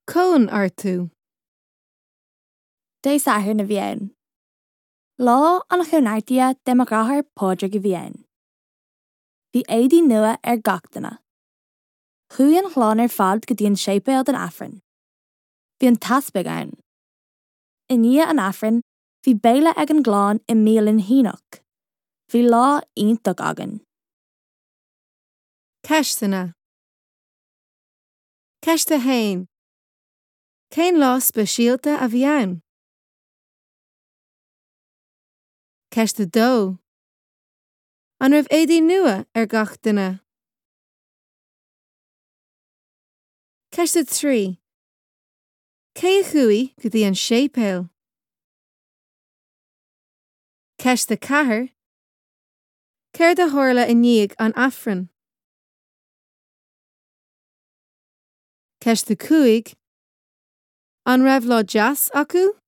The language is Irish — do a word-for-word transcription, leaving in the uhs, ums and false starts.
Cóineartú. Dé Sathairn a bhí ann. Lá an chóineartaithe de mo dheartháir Pádraig a bhí ann. Bhí éadaí nua ar gach duine. Chuaigh an chlann ar fad go dtí an séipéal don Aifreann. Bhí an t-easpag ann. I ndiaidh an Aifrinn, bhí béile ag an gclann i mbialann Shíneach. Bhí lá iontach againn. Ceisteanna. Ceist a haon. Cén lá speisialta a bhí ann? Ceist a dó. An raibh éadaí nua ar gach duine? Ceist a trí. Cé a chuaigh go dtí an séipéal? Ceist a ceathair. Céard a tharla i ndiaidh an Aifrinn? Ceist a cúig. An raibh lá deas acu?